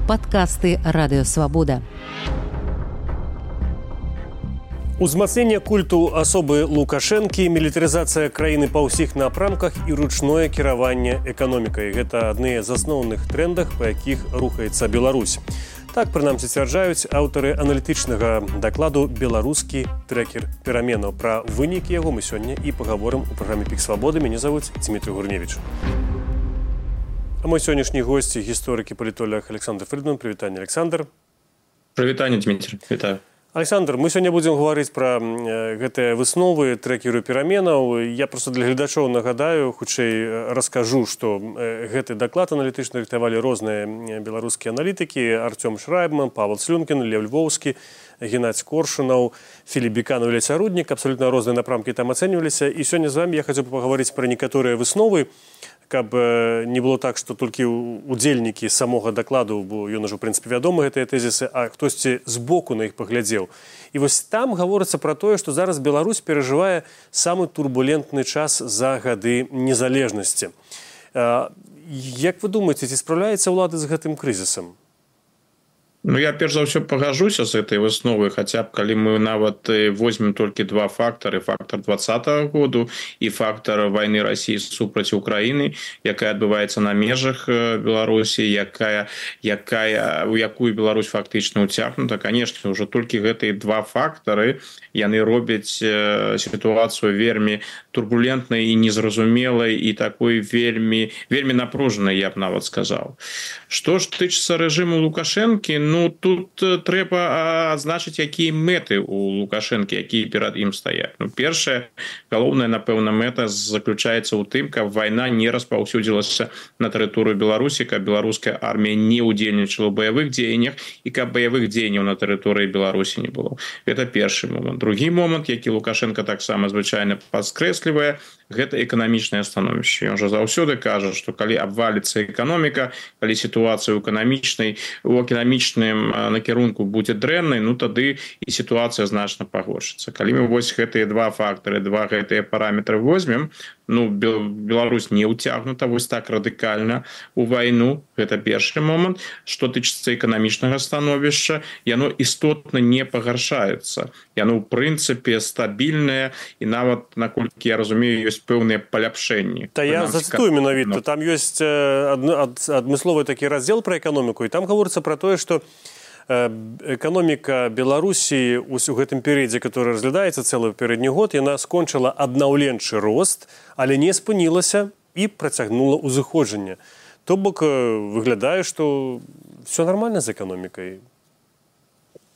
Падкасты Радыёвабода. Узмацненне культу асобы Лукашэнкі, мілітарызацыя краіны па ўсіх напрамках і ручное кіраванне эканомікай. Гэта адны з асноўных трендах, па якіх рухаецца Беларусь. Так, прынамсі, сцвярджаюць аўтары аналітычнага дакладу «Беларускі трекер пераменаў». Пра вынікі яго мы сёння і пагаворым у праграме «Пік свабоды». Мяне завуць Дмітрий Гурневіч. А мой сённяшні госць – гісторык і палітолог Александр Фридман. Прывітанне, Александр. Прывітанне, Дмітрий. Вітаю. Александр, мы сёння будзем гаварыць пра гэтыя высновы трекеру пераменаў. Я проста для гледачоў нагадаю, хутчэй раскажу, што гэты даклад аналітычны рыхтавалі розныя беларускія аналітыкі: Артём Шрайбман, Павел Слюнкін, Лев Львоўскі, Геннадзь Коршунаў, Філіп Біканаў, Леся Руднік. Абсолютна розныя напрамкі там ацэньваліся. І сёння з вами я хацеў паговорыць пра некаторыя высновы, каб не было так, што толькі удзельнікі самога дакладу, бо ён ужо, в прынцыпе, вядомы гэтыя тэзісы, а хтосьці збоку на іх паглядзеў. І вось там гаворыцца пра тое, што зараз Беларусь перажывае самы турбулентны час за гады незалежнасці. Як вы думаеце, ці спраўляецца ўлада з гэтым крызісам? Ну, я перш за ўсё пагажуся з гэтай высновы, хаця б калі мы нават возьмем толькі два фактары: фактар 2020 году і фактар вайны Расіі супраць Украіны, якая адбываецца на межах Беларусі, у якую Беларусь фактычна ўцягнута. Канешне, ўжо толькі гэтыя два фактары яны робяць сітуацыю вельмі турбулентнай і незразумелай, і такой вельмі напружанай, я б нават сказаў. Што ж тычыцца рэжыму Лукашэнкі, ну, тут трэба адзначыць, якія мэты у Лукашэнкі, якія перад ім стаяць. Ну, першая, галоўная, напэўна, мэта заключаецца ў тым, каб вайна не распаўсюдзілася на тэрыторыю Беларусі, каб беларуская армія не ўдзельнічала ў баявых дзеяннях і каб баявых дзеянняў на тэрыторыі Беларусі не было. Гэта першы момант. Другі момант, які Лукашенко таксама звычайна падкрэслівае, гэта эканамічнае становішча. Ён жа заўсёды кажа, што калі абваліцца эканоміка, калі сітуацыя у эканамічным накірунку будзе дрэннай, ну тады і сітуацыя значна пагоршыцца. Калі мы вось гэтыя два фактары, два гэтыя параметры возьмем, ну, Беларусь не ўцягнута вось так радыкальна у вайну. Гэта першы момант. Што тычыцца эканамічнага становішча, яно істотна не пагаршаецца. Яно, ў прынцыпе, стабільнае, і нават, наколькі я разумею, ёсць пэўныя паляпшэнні. Та я зацытую менавіта. Там ёсць адмысловы такі раздзел пра эканоміку, і там гаворыцца пра тое, што эканоміка Беларусі у гэтым перыядзе, который разглядаецца цэлы папярэдні год, яна скончыла аднаўленчы рост, але не спынілася і працягнула ўзыходжанне. То бок выглядае, што все нормально з эканомікай.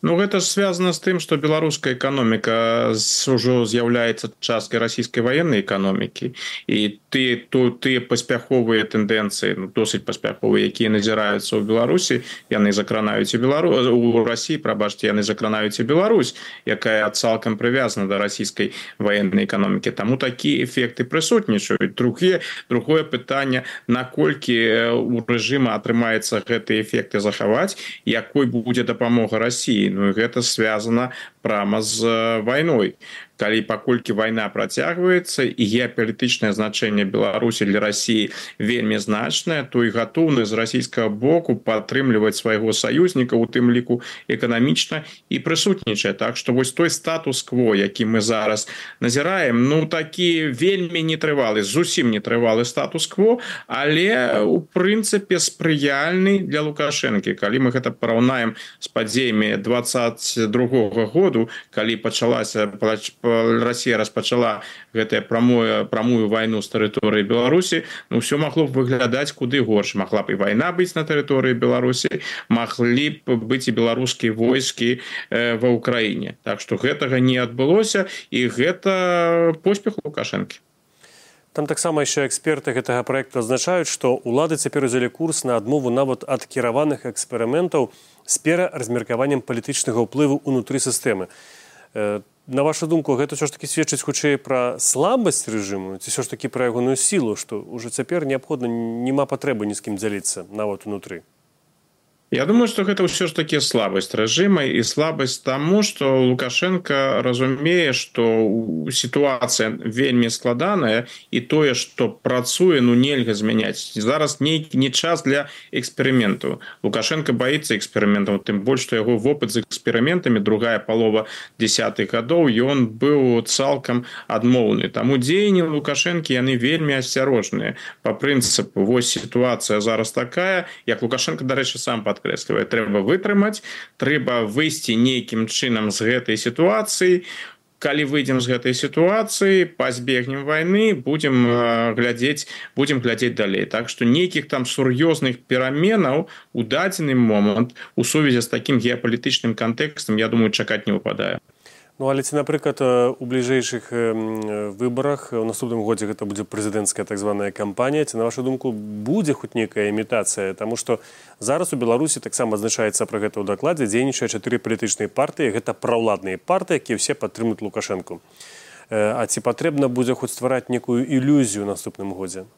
Ну, гэта звязана з тым, што беларуская эканоміка ўжо з'яўляецца часткай расійскай ваеннай эканомікі, і тыя паспяховыя тэндэнцыі, досыць паспяховыя, якія назіраюцца ў Беларусі, яны закранаюць і у Расіі, яны закранаюць і Беларусь, якая цалкам прывязана да расійскай ваеннай эканомікі. Таму такія эфекты прысутнічаюць. Другое пытанне, наколькі у рэжыма атрымаецца гэтыя эфекты захаваць, якой будзе дапамога Расіі. Ну, гэта звязана прама з вайной. Паколькі вайна працягваецца і геапалітычнае значэнне Беларусі для Расіі вельмі значнае, то і гатоўнасць з расійскага боку падтрымліваць свайго саюзніка, у тым ліку эканамічна, і прысутнічае. Так што вось той статус-кво, які мы зараз назіраем, ну, такі вельмі нетрывалы, зусім нетрывалы статус-кво, але у прынцыпе спрыяльны для Лукашэнкі. Калі мы гэта параўнаем з падзеямі 22-го году, калі Расія распачала гэтую прамую вайну з тэрыторыі Беларусі, ну, ўсё магло б выглядаць куды горш. Магла б і вайна быць на тэрыторыі Беларусі, маглі б быць і беларускія войскі ва ўкраіне. Так што гэтага не адбылося, і гэта поспех Лукашэнкі. Там таксама яшчэ эксперты гэтага праекту адзначаюць, што ўлады цяпер узялі курс на адмову нават ад кіраваных эксперыментаў з пераразмеркаваннем палітычнага ўплыву ўнутры сістэмы. На вашу думку, гэта ўсё ж такі сведчыць хутчэй пра слабасць рэжыму, ці ўсё ж такі пра ягоную сілу, што ўжо цяпер неабходна, няма патрэбы ні з кім дзяліцца нават унутры? Я думаю, что гэта ўсё ж таки слабасць рэжыма і слабасць таму, што Лукашенко разумее, што сітуацыя вельмі складаная і тое, што працуе, нельга змяняць. Зараз нейкі не час для эксперыменту. Лукашенко баіцца эксперыментаў, тым больш, што яго вопыт з эксперыментамі другая палова 10-х гадоў ён быў цалкам адмоўны. Таму дзеянні Лукашэнкі яны вельмі асцярожныя. Па прынцыпу, вось сітуацыя зараз такая, як Лукашенко, дарэчы, сам падкрэслівае, трэба вытрымаць, трэба выйсці нейкім чынам з гэтай сітуацыі. Калі выйдзем з гэтай сітуацыі, пазбегнем вайны, будзем глядзець далей. Так што нейкіх там сур'ёзных пераменаў у дадзены момант у сувязі з такім геапалітычным кантэкстам, я думаю, чакаць не выпадае. Ну, але ці, напрыклад, у бліжэйшых выбарах у наступным годзе гэта будзе прэзідэнцкая так званая кампанія, ці, на вашу думку, будзе хоць нейкая імітацыя? Таму што зараз у Беларусі таксама адзначаецца пра гэта ў дакладзе, дзейнічае 4 палітычныя партыі, гэта праўладныя партыі, якія ўсе падтрымуюць Лукашэнку. А ці патрэбна будзе хоць ствараць некую ілюзію ў наступным годзе?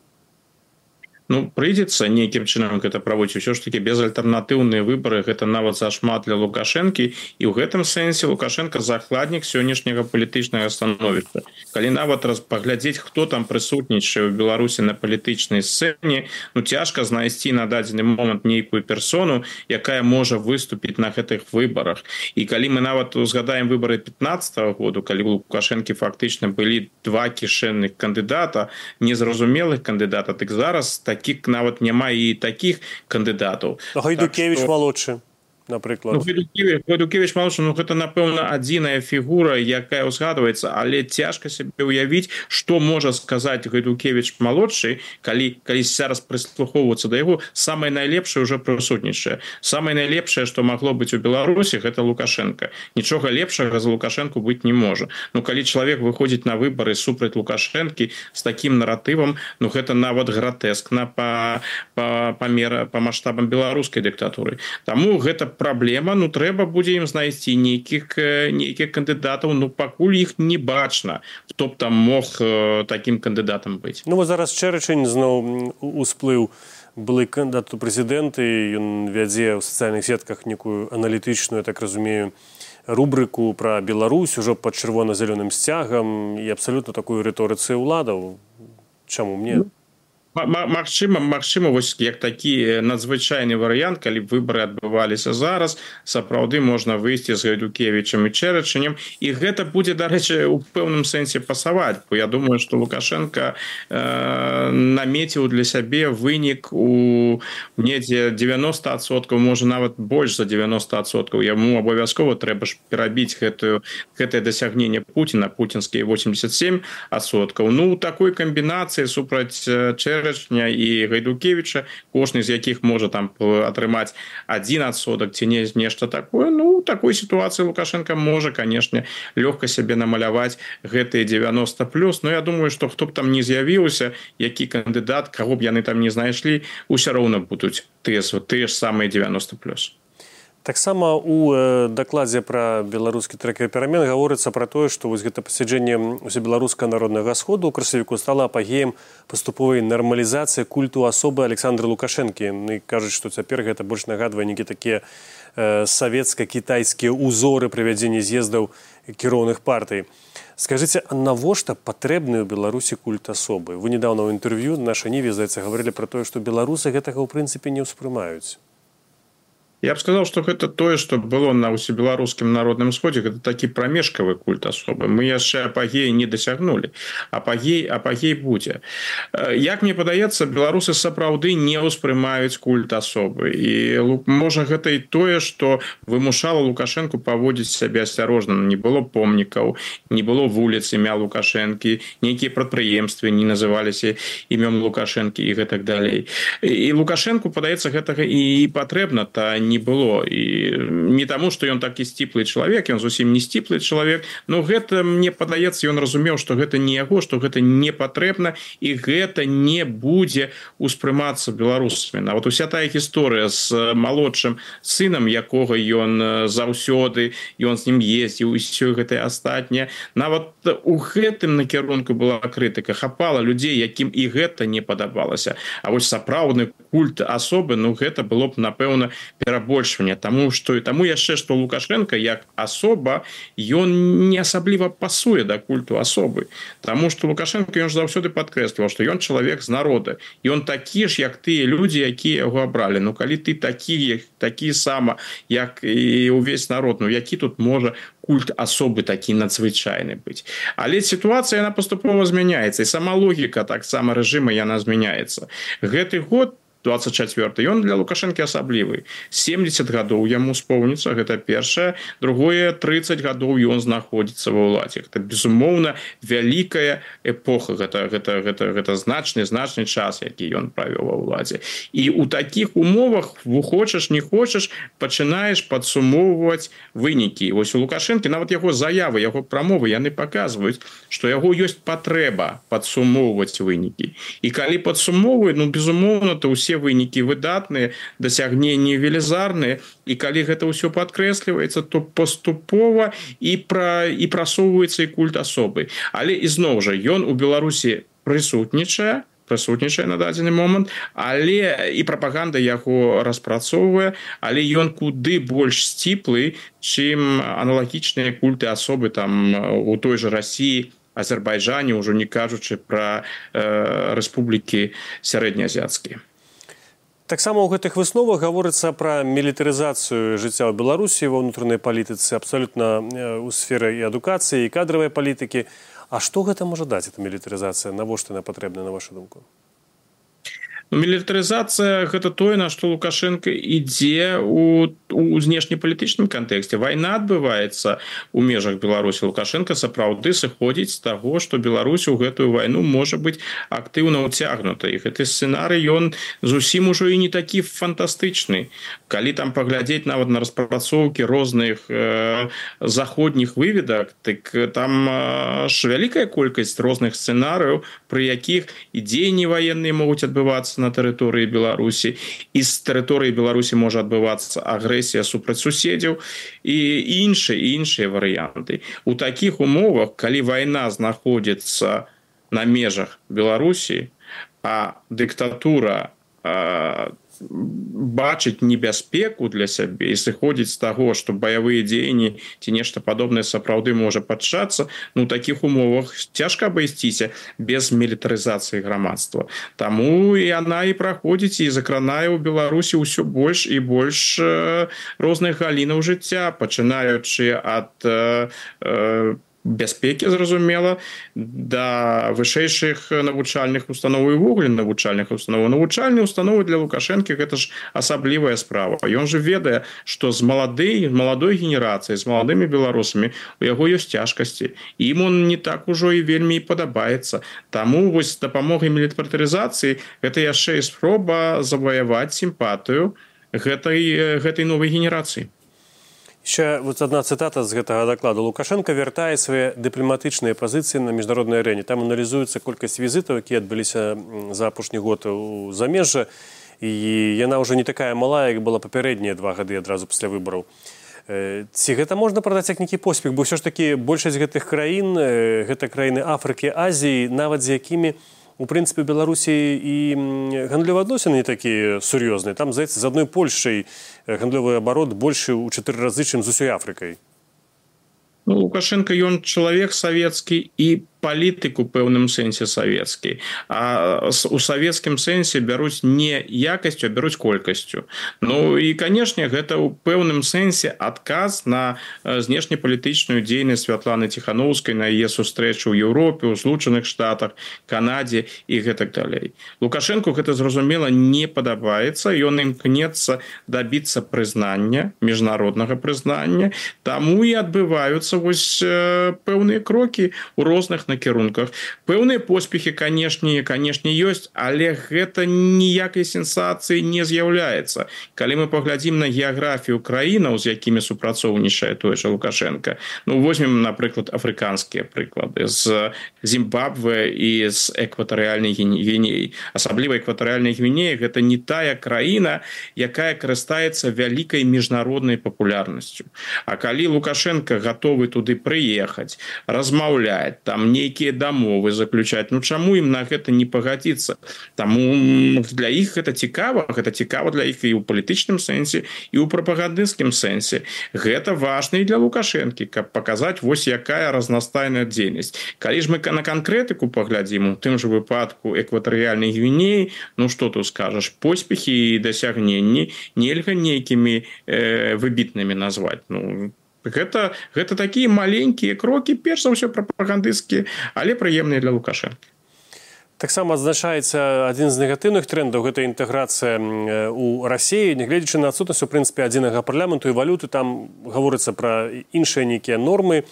Прыйдзецца нейкім чынам гэта праводзіць. Усё ж таки безальтэрнатыўныя выбары гэта нават зашмат для Лукашэнкі, і ў гэтым сэнсе Лукашенко закладнік сённяшняга палітычнага становішча. Калі нават паглядзець, хто там прысутнічае ў Беларусі на палітычнай сцэне, цяжка знайсці на дадзены момант нейкую персону, якая можа выступіць на гэтых выбарах. І калі мы нават узгадаем выбары 15-го году, калі у Лукашэнкі фактычна былі 2 кішэнных кандыдата, незразумелых кандыдата, дык зараз таких нават няма і таких кандыдатаў. Гайдукевич малодшы, напрыклад. Гайдукевич малодшы, гэта, напэўна, адзіная фігура, якая ўзгадваецца, але цяжка сябе ўявіць, што можа сказаць Гайдукевич малодшы, калі зараз прыслухоўвацца да яго, самае найлепшае ўжо прысутнічае. Самае найлепшае, што магло быць у Беларусі, гэта Лукашенко. Нічога лепшага за Лукашенку быць не можа. Калі чалавек выходзіць на выбары супраць Лукашэнкі з такім наратывам, гэта нават гратэскна па маштабам беларускай дыктатуры. Таму гэта праблема, трэба будзе ім знайсці нейкіх кандыдатаў, пакуль іх не бачна, хто б там мог такім кандыдатам быць. Зараз Чэрачань зноў усплыў былы кандыдат у прэзідэнты, ён вядзе ў сацыяльных сетках некую аналітычную, я так разумею, рубрыку пра Беларусь ужо пад чырвона-зялёным сцягам і абсалютна такую рыторыцы ўладаў. Чаму мне? Магчыма, вось як такі надзвычайны варыянт, калі выбары адбываліся зараз, сапраўды можна выйсці з Гайдукевічам і Чэрачанем, і гэта будзе, дарэчы, у пэўным сэнсе пасаваць, бо я думаю, што Лукашенко намеціў для сябе вынік у недзе 90%, можа нават больш за 90%. Яму абавязкова трэба ж перабіць гэтае дасягненне Пуціна, пуцінскія 87%. У такой камбінацыі супраць Чэрачаня і Гайдукевіча, кожны з якіх можа там атрымаць 1% ці нешта такое. Такой сітуацыі Лукашенко можа, канешне, лёгка сябе намаляваць гэтыя 90+. Я думаю, што хто б там не з'явіўся, які кандыдат, каго б яны там не знайшлі, усё роўна будуць тыя ж самыя 90+. Таксама у дакладзе пра беларускі трэкер перамен гаворыцца пра тое, што вось гэта пасяджэнне ўсебеларускага народнага сходу ў красавіку стала апагеем паступовай нармалізацыі культу асобы Александра Лукашэнкі. І кажуць, што цяпер гэта больш нагадвае нейкія такія савецка-кітайскія ўзоры правядзення з'ездаў кіроўных партый. Скажыце, а навошта патрэбны ў Беларусі культ асобы? Вы недаўна ў інтэрв'ю наша Ніве, здаецца, гаварылі пра тое, што беларусы гэтага ў прынцыпе не ўспрымаюць. Я б сказаў, што гэта тое, што было на ўсебеларускім народным сходзе, гэта такі прамежкавы культ асобы. Мы яшчэ апагеі не дасягнулі. Апагей будзе. Як мне падаецца, беларусы сапраўды не ўспрымаюць культ асобы. І можа гэта і тое, што вымушала Лукашэнку паводзіць сябе асцярожна. Не было помнікаў, не было вуліц імя Лукашэнкі, нейкія прадпрыемствы не называліся імём Лукашэнкі і гэтак далей. І Лукашэнку, падаецца, гэтага і патрэбна, та не было. І не таму, што ён такі сціплы чалавек, ён зусім не сціплы чалавек, гэта, мне падаецца, ён разумеў, што гэта не яго, што гэта не патрэбна, і гэта не будзе ўспрымацца беларусамі. Нават уся тая гісторыя з малодшым сынам, якога ён заўсёды, ён з ім ездзіў, і ўсё гэтае астатняе. Нават у гэтым накірунку была крытыка. Хапала людзей, якім і гэта не падабалася. А вось сапраўдны культ асобы, гэта было б, напэўна, перабачана перабольшвання, таму яшчэ што Лукашенко як асоба ён не асабліва пасуе да культу асобы, таму што Лукашенко ён ж заўсёды падкрэсліваў, што ён чалавек з народа, ён такі ж як тыя людзі, якія яго абралі. Ну калі ты такі сама як і ўвесь народ, ну які тут можа культ асобы такі надзвычайны быць. Але сітуацыя яна паступова змяняецца, і сама логіка таксама рэжыма яна змяняецца. Гэты год 24 ён для Лукашэнкі асаблівы. 70 гадоў яму споўніцца, гэта першае. Другое, 30 гадоў ён знаходзіцца ва ўладзе. Гэта, безумоўна, вялікая эпоха. Гэта значны час, які ён правёў ва ўладзе. І ў такіх умовах, хочаш, не хочаш, пачынаеш падсумоўваць вынікі. Вось у Лукашэнкі, нават яго заявы, яго прамовы, яны паказваюць, што яго ёсць патрэба падсумоўваць вынікі. І калі падсумоўваюць, ну, безумоўна, то ўсе вынікі выдатныя, дасягненні велізарныя, і калі гэта ўсё падкрэсліваецца, то паступова і прасоўваецца і культ асобы. Але ізноў жа ён у Беларусі прысутнічае на дадзены момант, але і прапаганда яго распрацоўвае, але ён куды больш сціплы, чым аналагічныя культы асобы там у той жа Расіі, Азербайджане, ўжо не кажучы пра рэспублікі сярэднеазіяцкія. Таксама ў гэтых высновах гаворыцца пра мілітарызацыю жыцця ў Беларусі ва ўнутранай палітыцы, абсалютна ў сферы і адукацыі, і кадравай палітыкі. А што гэта можа даць, эта мілітарызацыя? Навошта яна патрэбна, на вашу думку? Мілітарызацыя – гэта тое, на што Лукашенко ідзе у знешнепалітычным кантэксце. Вайна адбываецца ў межах Беларусі. Лукашенко сапраўды сыходзіць з таго, што Беларусь у гэтую вайну можа быць актыўна ўцягнута. І гэты сцэнарый, ён зусім ужо і не такі фантастычны. Калі там паглядзець нават на распрацоўкі розных заходніх выведак, так там ж вялікая колькасць розных сцэнарыяў, пры якіх і дзеянні ваенныя могуць адбывацца на тэрыторыі Беларусі, і з тэрыторыі Беларусі можа адбывацца агрэсія супраць суседзяў і іншыя варыянты. У такіх умовах, калі вайна знаходзіцца на межах Беларусі, а дыктатура бачыць небяспеку для сябе і сыходзіць з таго, што баявыя дзеянні ці нешта падобнае сапраўды можа пачацца, ну, у такіх умовах цяжка абысціся без мілітарызацыі грамадства. Таму яна і праходзіць і закранае ў Беларусі ўсё больш і больш розных галінаў жыцця, пачынаючы ад бяспекі, зразумела, да вышэйшых навучальных устаноў і ўвогуле навучальных устаноў. Навучальныя установы для Лукашэнкі – гэта ж асаблівая справа. Ён жа ведае, што з маладой генерацыяй, з маладымі беларусамі у яго ёсць цяжкасці. Ім он не так ужо і вельмі і падабаецца. Таму вось з дапамогай мілітарызацыі гэта яшчэ і спроба заваяваць сімпатыю гэтай новай генерацыі. Ще вот одна цитата з гэтага дакладу. Лукашенко вяртае свае дыпламатычныя пазіцыі на міжнароднай арэне. Там аналізуецца колькасць візітаў, якія адбыліся за апошні год у замежжа, і яна ўжо не такая малая, як была папярэднія 2 гады адразу пасля выбараў. Ці гэта можна прадаць як нейкі поспех? Бо ўсё ж такі большасць гэтых краін, гэта краіны Афрыкі, Азіі, нават з якімі у прынцыпе, Беларусі і гандлёвыя адносіны не такія сур'ёзныя. Там, здаецца, з адной Польшай гандлёвы абарот большы ў 4 разы, чым з усёй Афрыкай. Ну, Лукашенко, ён чалавек савецкі і палітык у пэўным сэнсе савецкі. А у савецкім сэнсе бяруць не якасцю, а бяруць колькасцю. Ну і, канешне, гэта ў пэўным сэнсе адказ на знешнепалітычную дзейнасць Святланы Ціхановскай, на яе сустрэчу ў Еўропе, у Злучаных Штатах, Канадзе і гэтак далей. Лукашенку гэта, зразумела, не падабаецца, ён імкнецца дабіцца прызнання, міжнароднага прызнання, таму і адбываюцца вось пэўныя крокі ў розных накірунках. Пэўныя поспехі, канешне, ёсць, але гэта ніякай сенсацыі не з'яўляецца. Калі мы паглядзім на геаграфію краінаў, з якімі супрацоўнічае той жа Лукашенко, ну, возьмем, напрыклад, афрыканскія прыклады з Зімбабве і з экватарыяльнай Гвінеі. Асабліва экватарыяльная Гвінея – гэта не тая краіна, якая карыстаецца вялікай міжнароднай папулярнасцю. А калі Лукашенко гатовы туды прыехаць, размаўляць, там нейкія дамовы заключаць. Ну чаму ім на гэта не пагадзіцца? Таму для іх гэта цікава для іх і ў палітычным сэнсе, і ў прапагандысцкім сэнсе. Гэта важна і для Лукашэнкі, каб паказаць вось якая разнастайная дзейнасць. Калі ж мы на канкрэтыку паглядзім, у тым жа выпадку экватарыяльнай Гвінеі, ну што тут скажаш, поспехі і дасягненні нельга нейкімі выбітнымі назваць. Ну гэта такія маленькія крокі, перш за ўсё прапагандысцкія, але прыемныя для Лукашэнкі. Таксама адзначаецца адзін з негатыўных трендаў, гэта інтэграцыя ў Расіі, нягледзячы на адсутнасць, у прынцыпе, адзінага парламенту і валюты, там гаворыцца пра іншыя нейкія нормы,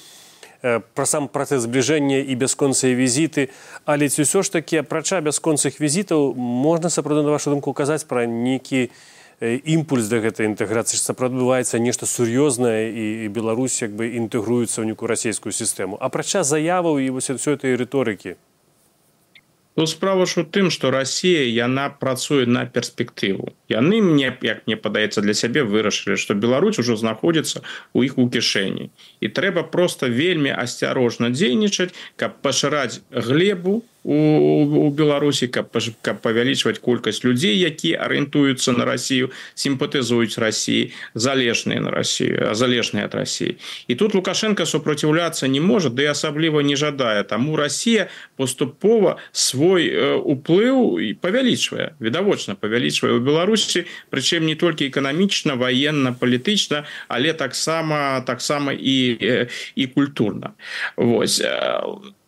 пра сам працэс збліжэння і бясконцыя візіты, але ці ўсё ж такі, апрача бясконцых візітаў, можна сапраўды, на вашу думку, казаць пра нейкі імпульс да гэтай інтэграцыі, што сапраўды адбываецца нешта сур'ёзнае і Беларусь як бы інтэгруецца ў нейкую расійскую сістэму. Апрача заяваў і вось усёй этой рыторыкі. Тут справа ж у тым, што Расія, яна працуе на перспектыву. Яны, як мне падаецца, для сябе вырашылі, што Беларусь ужо знаходзіцца ў іх у кішэні. І трэба проста вельмі асцярожна дзейнічаць, каб пашыраць глебу у Беларусі, каб павялічваць колькасць людзей, якія арыентуюцца на Расію, сімпатызуюць Расіі, залежныя ад Расіі. І тут Лукашенко супраціўляцца не можа, ды асабліва не жадае. Таму Расія паступова свой уплыў павялічвае, відавочна павялічвае ў Беларусі, прычым не толькі эканамічна, ваенна, палітычна, але таксама і культурна. Вось.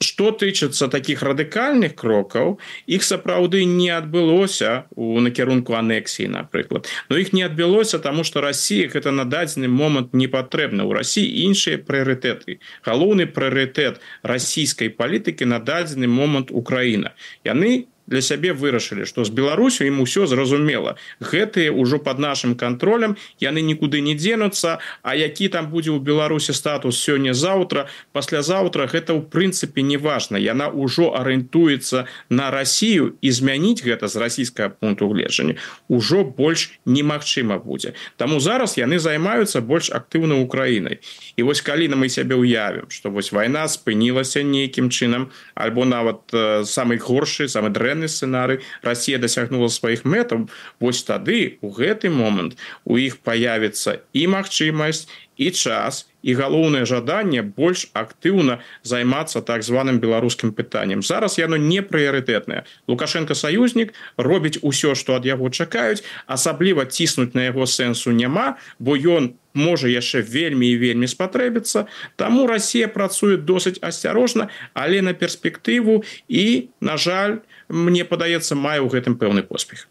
Што тычыцца такіх радыкальных крокаў, іх сапраўды не адбылося ў накірунку анексіі, напрыклад. Но іх не адбылося, таму што Расія гэта на дадзены момант не патрэбна. У Расіі іншыя прыярытэты. Галоўны прыярытэт расійскай палітыкі на дадзены момант Украіна. Яны для сябе вырашылі, што з Беларусю ім усё зразумела. Гэтыя ўжо пад нашым кантролем, яны нікуды не дзенуцца, а які там будзе ў Беларусі статус сёння-заўтра, паслязаўтра, гэта ў прынцыпе не важна. Яна ўжо арыентуецца на Расію, і змяніць гэта з расійскага пункту гледжання ўжо больш немагчыма будзе. Таму зараз яны займаюцца больш актыўна Украінай. І вось калі мы сябе ўявім, што вось вайна спынілася нейкім чынам, альбо нават самы горшы, самы дрэнны сцэнарый, Расія дасягнула сваіх мэтаў, вось тады, у гэты момант, у іх паявіцца і магчымасць, і час, і галоўнае жаданне больш актыўна займацца так званым беларускім пытаннем. Зараз яно не прыярытэтнае. Лукашенко саюзнік, робіць усё, што ад яго чакаюць, асабліва ціснуць на яго сэнсу няма, бо ён можа яшчэ вельмі і вельмі спатрэбіцца. Таму Расія працуе досыць асцярожна, але на перспектыву і, на жаль, мне падаецца, мае ў гэтым пэўны поспех.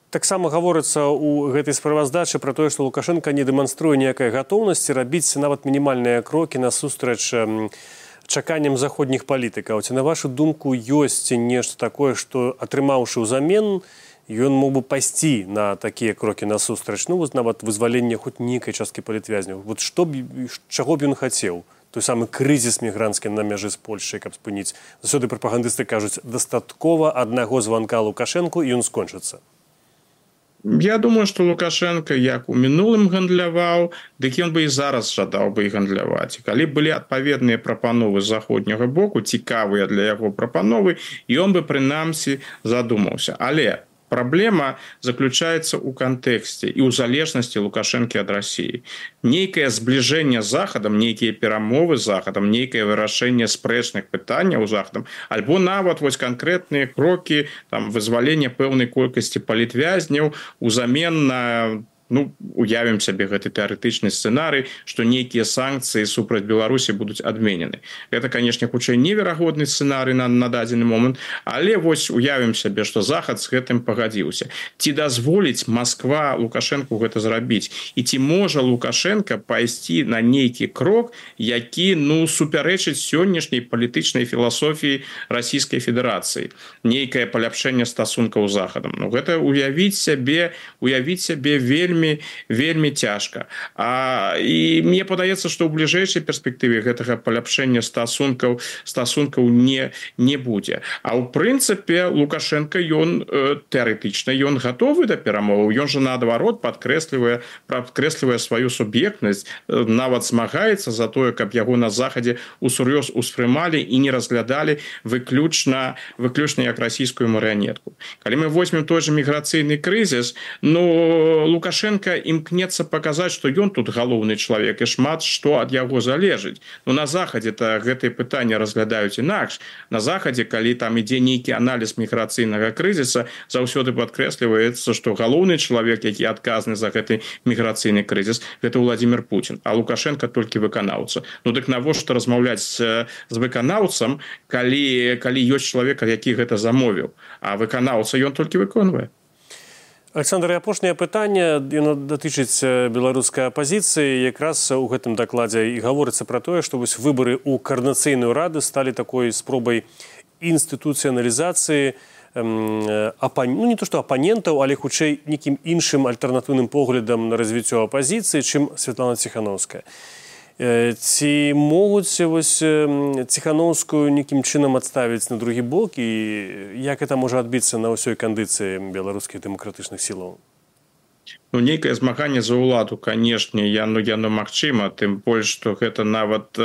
Таксама гаворыцца ў гэтай справаздачы пра тое, што Лукашенко не дэманструе ніякай гатоўнасці рабіць нават мінімальныя крокі насустрач чаканням заходніх палітыкаў. Ці, на вашу думку, ёсць нешта такое, што, атрымаўшы ўзамен, ён мог бы пайсці на такія крокі насустрач, ну, нават вызвалення хоць нейкай часткі палітвязняў. Вот чаго б ён хацеў? Той самы крызіс мігранцкі на мяжы з Польшай, каб спыніць. Заўсёды прапагандысты кажуць, дастаткова аднаго званка Лукашэнку, і ён скончыцца. Я думаю, што Лукашенко як у мінулым гандляваў, дык ён бы і зараз жадаў бы і гандляваць. Калі былі адпаведныя прапановы з заходняга боку, цікавыя для яго прапановы, ён бы прынамсі задумаўся. Але праблема заключаецца ў кантэксце і ў залежнасці Лукашэнкі ад Расіі. Нейкае збліжэнне з Захадам, нейкія перамовы з Захадам, нейкае вырашэнне спрэчных пытанняў з Захадам, альбо нават вось канкрэтныя крокі вызвалення пэўнай колькасці палітвязняў узамен на уявім сябе гэты тэарэтычны сцэнарый, што нейкія санкцыі супраць Беларусі будуць адменены. Гэта, канешне, хутчэй неверагодны сцэнарый на дадзены момант, але вось уявім сябе, што Захад з гэтым пагадзіўся. Ці дазволіць Масква Лукашэнку гэта зрабіць? І ці можа Лукашенко пайсці на нейкі крок, які, супярэчыць сённяшняй палітычнай філасофіі Расійскай Федэрацыі? Нейкае паляпшэнне стасункаў з Захадам. Гэта уявіць сябе вельмі вельмі цяжка. І мне падаецца, што ў бліжэйшай перспектыве гэтага паляпшэння стасункаў не будзе. А ў прынцыпе Лукашенко ён тэарэтычна ён гатовы да перамоваў. Ён жа наадварот падкрэслівае сваю суб'ектнасць, нават змагаецца за тое, каб яго на захадзе усур'ёз успрымалі і не разглядалі выключна як расійскую марыянетку. Калі мы возьмем той же міграцыйны крызіс, Лукашенко імкнецца паказаць, што ён тут галоўны чалавек і шмат што ад яго залежыць. На захадзе-то гэтыя пытанні разглядаюць інакш. На захадзе, калі там ідзе нейкі аналіз міграцыйнага крызіса, заўсёды падкрэсліваецца, што галоўны чалавек, які адказны за гэты міграцыйны крызіс, гэта Владимир Путин, а Лукашенко толькі выканаўца. Дык навошта размаўляць з выканаўцам, калі ёсць чалавек, які гэта замовіў, а выканаўца ён толькі выконвае. Александр, апошняе пытанне, яно датычыць беларускай апазіцыі. Якраз у гэтым дакладзе і гаворыцца пра тое, што вось выбары ў каардынацыйную раду сталі такой спробай інстытуцыяналізацыі не то што апанентаў, але хутчэй нейкім іншым альтэрнатыўным поглядам на развіццё апазіцыі, чым Святлана Ціханаўская. Ці могуць Ціханаўскую нейкім чынам адставіць на другі бок, і як гэта можа адбіцца на ўсёй кандыцыі беларускіх дэмакратычных сілаў? Нейкае змаганне за ўладу, канешне, яно магчыма, тым больш, што гэта нават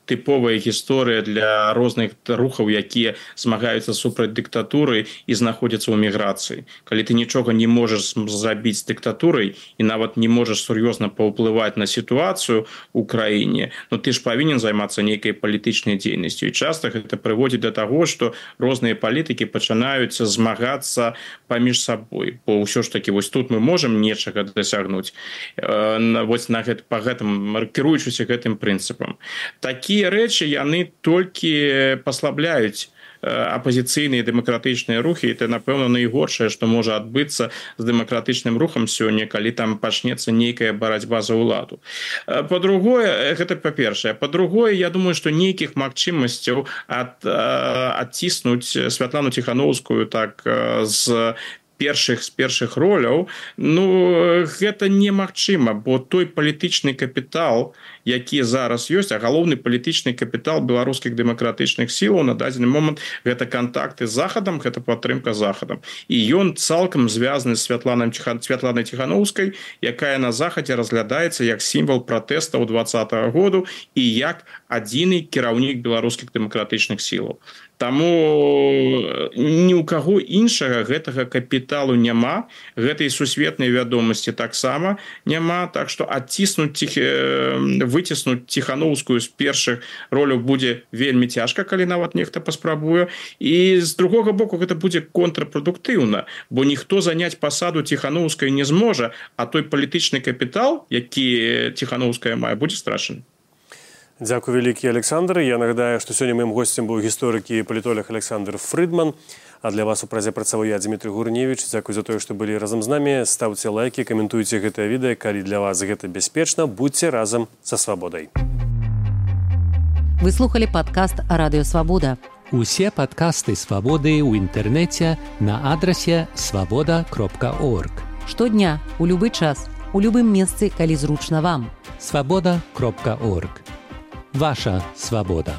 тыповая гісторыя для розных рухаў, якія змагаюцца супраць дыктатуры і знаходзяцца ў міграцыі. Калі ты нічога не можаш зрабіць з дыктатурай і нават не можаш сур'ёзна паўплываць на сітуацыю ў краіне, ты ж павінен займацца нейкай палітычнай дзейнасцю. І часта гэта прыводзіць да таго, што розныя палітыкі пачынаюць змагацца паміж сабой. Бо ўсё ж такі вось тут мы можам нечага дасягнуць, па гэтым, кіруючыся гэтым прынцыпам. Такія рэчы, яны толькі паслабляюць апазіцыйныя дэмакратычныя рухі, і это, напэўна, найгоршае, што можа адбыцца з дэмакратычным рухам сёння, калі там пачнецца нейкая барацьба за ўладу. Па-другое, гэта па-першае. Па-другое, я думаю, што нейкіх магчымасцяў адціснуць Святлану Ціханаўскую так з першых роляў, гэта немагчыма, бо той палітычны капітал, які зараз ёсць, а галоўны палітычны капітал беларускіх дэмакратычных сілаў на дадзены момант гэта кантакты з захадам, гэта падтрымка захадам. І ён цалкам звязаны з Святланай Ціханаўскай, якая на захадзе разглядаецца як сімвал пратэстаў 2020 году і як адзіны кіраўнік беларускіх дэмакратычных сілаў. Таму ні ў каго іншага гэтага капіталу няма, гэтай сусветнай вядомасці таксама няма, так што выціснуць Ціханаўскую з першых роляў будзе вельмі цяжка, калі нават нехта паспрабуе. І з другога боку гэта будзе контрпрадуктыўна, бо ніхто заняць пасаду Ціханаўскай не зможа, а той палітычны капітал, які Ціханаўская мае, будзе страчаны. Дзякуй вялікі, Александр. Я нагадаю, што сёння маім госцем быў гісторык і палітолог Александр Фрыдман. А для вас у празе працаваў я, Дмітрий Гурневіч. Дзякуй за тое, што былі разам з намі. Ставце лайкі, каментуйце гэтае відэа. Калі для вас гэта бяспечна, будьце разам са свабодай. Вы слухалі падкаст «Радыё Свабода». Усе падкасты «Свабоды» ў інтэрнэце на адрасе свабода.орг. Штодня, у любы час, у любым месцы, калі зручна вам. Свабода.орг. Ваша свабода.